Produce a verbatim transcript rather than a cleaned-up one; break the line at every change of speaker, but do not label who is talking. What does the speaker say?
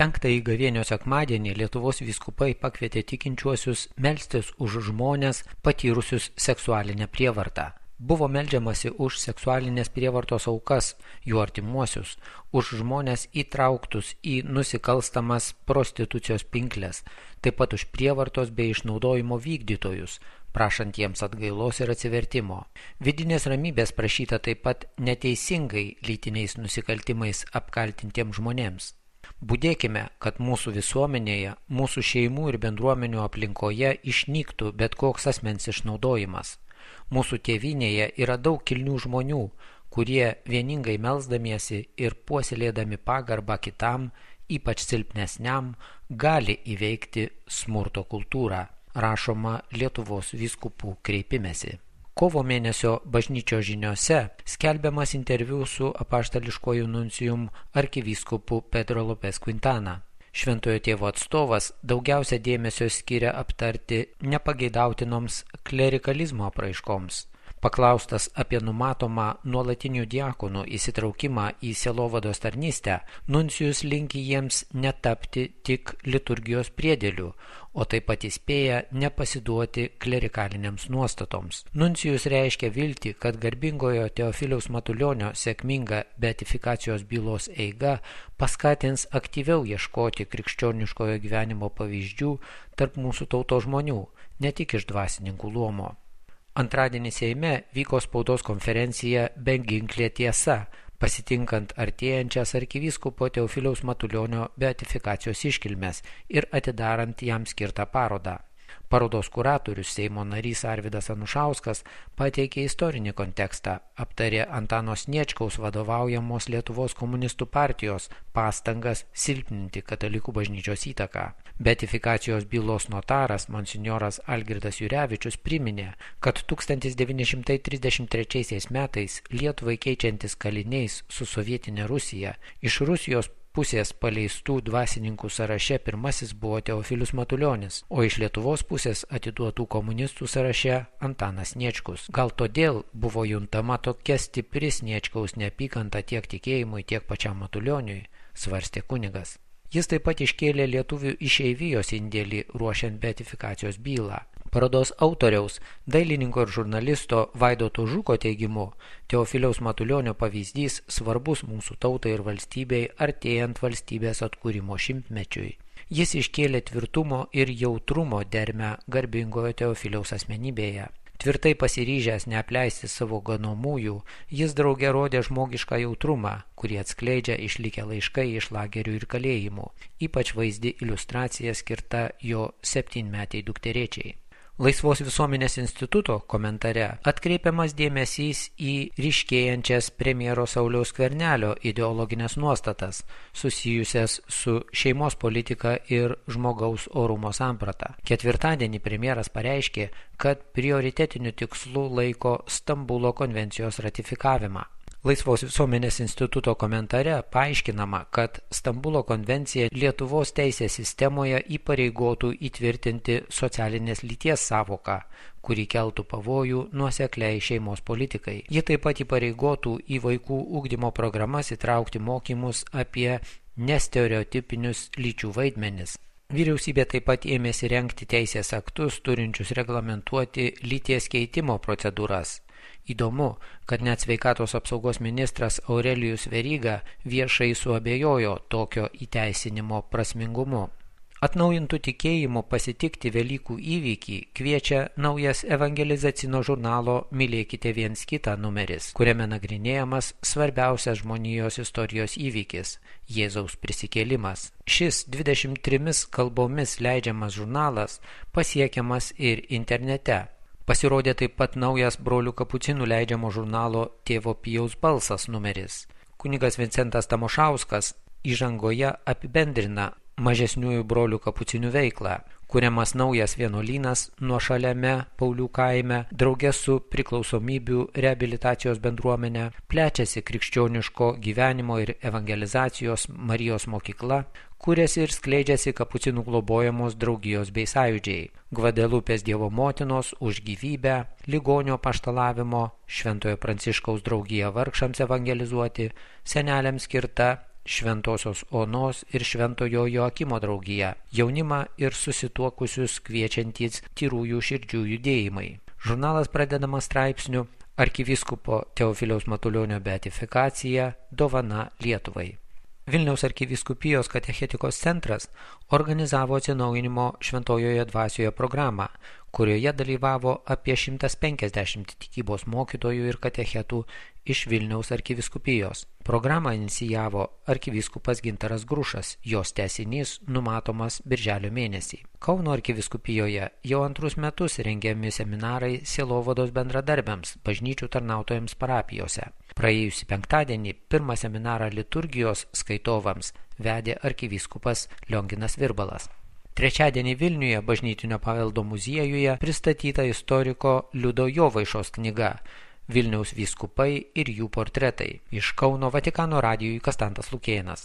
Penktąjį gavėnios sekmadienį Lietuvos vyskupai pakvietė tikinčiuosius melstis už žmones patyrusius seksualinę prievartą. Buvo meldžiamasi už seksualinės prievartos aukas, jų artimuosius, už žmones įtrauktus į nusikalstamas prostitucijos pinkles, taip pat už prievartos bei išnaudojimo vykdytojus, prašant jiems atgailos ir atsivertimo. Vidinės ramybės prašyta taip pat neteisingai lytiniais nusikaltimais apkaltintiems žmonėms. Budėkime, kad mūsų visuomenėje, mūsų šeimų ir bendruomenių aplinkoje išnyktų bet koks asmens išnaudojimas. Mūsų tėvynėje yra daug kilnių žmonių, kurie vieningai melsdamiesi ir puoselėdami pagarbą kitam, ypač silpnesniam, gali įveikti smurto kultūrą, rašoma Lietuvos vyskupų kreipimesi. Kovo mėnesio bažnyčios žiniose skelbiamas interviu su apaštališkuoju nuncijum arkivyskupu Pedro Lopez Quintana. Šventojo tėvo atstovas daugiausia dėmesio skiria aptarti nepageidautinoms klerikalizmo apraiškoms. Paklaustas apie numatomą nuolatinių diakonų įsitraukimą į sielovados tarnystę, nuncijus linki jiems netapti tik liturgijos priedėlių, o taip pat įspėja nepasiduoti klerikaliniams nuostatoms. Nuncijus reiškia viltį, kad garbingojo Teofiliaus Matulionio sėkminga beatifikacijos bylos eiga paskatins aktyviau ieškoti krikščioniškojo gyvenimo pavyzdžių tarp mūsų tautos žmonių, ne tik iš dvasininkų luomo. Antradienį Seime vyko spaudos konferencija Beginklė tiesa, pasitinkant artėjančias arkivyskupo Teofiliaus Matulionio beatifikacijos iškilmes ir atidarant jam skirtą parodą. Parodos kuratorius Seimo narys Arvydas Anušauskas pateikė istorinį kontekstą, aptarė Antano Sniečkaus vadovaujamos Lietuvos komunistų partijos pastangas silpninti katalikų bažnyčios įtaką. Beatifikacijos bylos notaras monsinjoras Algirdas Jurevičius priminė, kad tūkstantis devyni šimtai trisdešimt trečiaisiais metais Lietuvai keičiantis kaliniais su sovietinė Rusija, iš Rusijos pusės paleistų dvasininkų sąraše pirmasis buvo Teofilius Matulionis, o iš Lietuvos pusės atiduotų komunistų sąraše Antanas Sniečkus. Gal todėl buvo juntama tokia stipri Sniečkaus neapykanta tiek tikėjimui, tiek pačiam Matulioniui, svarstė kunigas. Jis taip pat iškėlė lietuvių išeivijos indėlį ruošiant beatifikacijos bylą. Parodos autoriaus, dailininko ir žurnalisto Vaidoto Žuko teigimu, Teofiliaus Matulionio pavyzdys svarbus mūsų tautai ir valstybei artėjant valstybės atkūrimo šimtmečiui. Jis iškėlė tvirtumo ir jautrumo dermę garbingojo Teofiliaus asmenybėje. Tvirtai pasiryžęs neapleisti savo ganomųjų, jis drauge rodė žmogišką jautrumą, kurį atskleidžia išlikę laiškai iš lagerių ir kalėjimų, ypač vaizdi iliustracija skirta jo septynmetei dukterėčiai. Laisvos visuomenės instituto komentare atkreipiamas dėmesys į ryškėjančias premjero Sauliaus Skvernelio ideologinės nuostatas, susijusias su šeimos politika ir žmogaus orumo samprata. Ketvirtadienį premjeras pareiškė, kad prioritetiniu tikslu laiko Stambulo konvencijos ratifikavimą. Laisvos visuomenės instituto komentare paaiškinama, kad Stambulo konvencija Lietuvos teisės sistemoje įpareigotų įtvirtinti socialinės lyties savoką, kuri keltų pavojų nuosekliai šeimos politikai. Ji taip pat įpareigotų į vaikų ugdymo programas įtraukti mokymus apie nestereotipinius lyčių vaidmenis. Vyriausybė taip pat ėmėsi rengti teisės aktus, turinčius reglamentuoti lyties keitimo procedūras. Įdomu, kad net sveikatos apsaugos ministras Aurelijus Veryga viešai suabejojo tokio įteisinimo prasmingumu. Atnaujintų tikėjimų pasitikti Velykų įvykį kviečia naujas evangelizacinio žurnalo Mylėkite viens kitą numeris, kuriame nagrinėjamas svarbiausias žmonijos istorijos įvykis – Jėzaus prisikėlimas. Šis dvidešimt trimis kalbomis leidžiamas žurnalas pasiekiamas ir internete. Pasirodė taip pat naujas brolių kapucinų leidžiamo žurnalo Tėvo Pijaus balsas numeris. Kunigas Vincentas Tamošauskas įžangoje apibendrina mažesniųjų brolių kapucinių veiklą, kuriamas naujas vienuolynas nuošaliame Paulių kaime, drauge su priklausomybių reabilitacijos bendruomenė, plečiasi krikščioniško gyvenimo ir evangelizacijos Marijos mokykla, kuriasi ir skleidžiasi kapucinų globojamos draugijos bei sąjūdžiai, Gvadelupės Dievo motinos už gyvybę, ligonio paštalavimo, Šventojo Pranciškaus draugija vargšams evangelizuoti, seneliams skirta Šventosios Onos ir Šventojo Joakimo draugija, jaunimą ir susituokusius kviečiantys tyrųjų širdžių judėjimai. Žurnalas pradedamas straipsniu Arkivyskupo Teofiliaus Matulionio beatifikacija – dovana Lietuvai. Vilniaus arkivyskupijos katechetikos centras organizavo atsinaujinimo Šventojoje dvasioje programą, kurioje dalyvavo apie šimtas penkiasdešimt tikybos mokytojų ir katechetų iš Vilniaus arkivyskupijos. Programą inicijavo arkivyskupas Gintaras Grušas, jos tęsinys numatomas birželio mėnesį. Kauno arkivyskupijoje jau antrus metus rengiami seminarai sielovados bendradarbiams, bažnyčių tarnautojams parapijose. Praėjusį penktadienį pirmą seminarą liturgijos skaitovams vedė arkivyskupas Lionginas Virbalas. Trečiadienį Vilniuje bažnytinio paveldo muziejuje pristatyta istoriko Liudo Jovaišos knyga Vilniaus vyskupai ir jų portretai. Iš Kauno Vatikano radijui Kastantas Lukėnas.